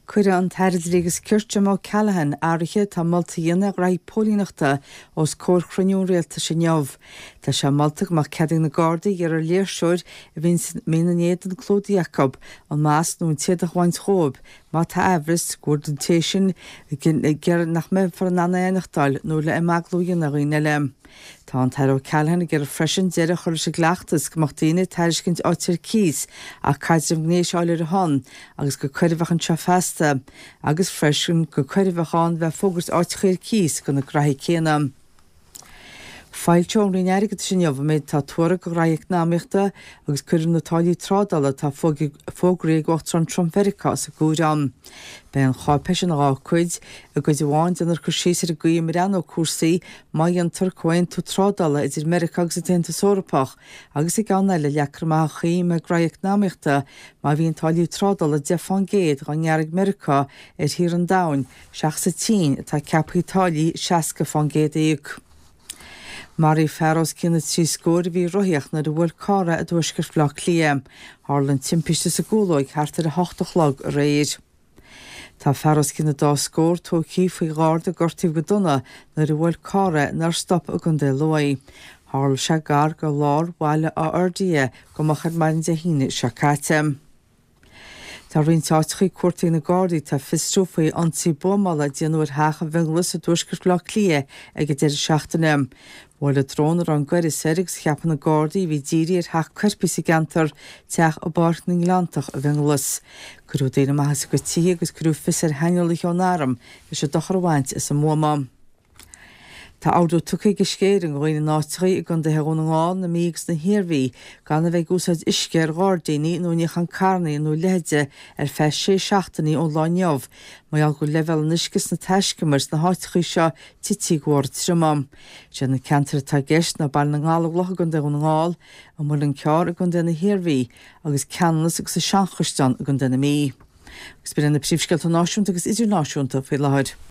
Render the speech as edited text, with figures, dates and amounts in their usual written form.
Cuirfidh an tAire Dlí agus Cirt Jim O'Callaghan athruithe atá molta a dhéanamh ar ghraithí póilíneachta os comhair chruinniú an Rialtais inniu. Tá sé molta go mbeadh cead ag na Gardaí iarraidh ar léirseoir a bhíonn in éadan clúdaigh acu an masc nó an t-éadach a bhaint dhóibh má tá aimhreas go bhfuil an té sin ag iarraidh nach mbeifear in ann é a aithneachtáil nó le imeaglú a dhéanamh ar dhaoine eile. Tá an tAire O'Callaghan ag iarraidh freisin deireadh a chur leis an gcleachtas go mbeadh daoine ag tairiscint áit ar cíos ach caidreamh gnéis a fháil ar a shon agus gur coir a bheadh anseo feasta agus freisin gur coir a bheadh ann bheith ag fógairt áiteacha ar cíos do na graithí céanna. Foilseoidh an Roinn Airgeadais inniu an méid atá tuartha do ghraithí eacnamaíochta agus cuirfear na táillí trádála atá fógraithe ag Uachtarán Trump Mheiriceá as an gcomhaireamh. Beidh an cháipéis ina dha cuid. I gcuid amháin déanfar cur síos ar an gcaoi a mbreathnóidh cúrsaí má dhéantar comhaontú trádála idir Meiriceá agus an tAontas Eorpach agus i gceann eile leagfar amach an chaoi a mbeidh graithí eacnamaíochta má bhíonn táillí trádála 10% dhá ngearradh ag Meiriceá ar thíortha an domhain seachas an tSín atá ceaptha táillí 60% a íoc. Maraíodh fear os cionn na dtrí scór a bhí ag rothaíocht nuair a bhuail carr é i dtuaisceart Bhaile Átha Cliath. Tharla an timpiste sa gCúlóig thart ar 8 a chlog aréir. Tá fear os cionn na dá scór tógtha faoi gharda gortaithe go dona nuair a bhuail carr é nár stop i gContae Lú. Tharla sé gar go lár Bhaile Átha Fhirdhia go moch ar maidin Dé hAoine seo caite. Tá roinnt áiteachaí cuartaithe ag na Gardaí atá ag fiosrú faoi ionsaí buamála a déanadh ar theach i bhFionnghlas i dtuaisceart Bhaile Átha Cliath ag an deireadh seachtaine. Buaileadh drón a raibh an gaireas air agus a cheapann na Gardaí a bhí dírithe ar theach coirpigh sa gceantar, teach i bPáirc na nGleanntach i bhFionnghlas. Cuireadh daoine amach as a gcuid tithe agus cuireadh fios ar shaineolaithe ón arm leis an dochar a bhaint as an mbuama. Tá ordú tugtha ag Uisce Éireann do dhaoine in áiteachaí i gcontaetha Dhún na nGall, na Mí agus na hIarmhí gan a bheith ag úsáid uisce ar ghairdíní nó i níochán carrannaí nó a leithide ar feadh sé seachtainí ón lá inniu mar gheall go bhfuil leibhéal an uisce sna taiscumair sna háiteachaí seo tití de bharr triomaigh. Is iad na ceantair atá i gceist ná Baile na nGallóglach i gContae Dhún na nGall, an Muileann Cearr i gContae na hIarmhí agus Ceanannas agus an Seanchaisleán i gContae na Mí. Agus b'in iad na príomhscéalta náisiúnta agus idirnáisiúnta faoi láthair.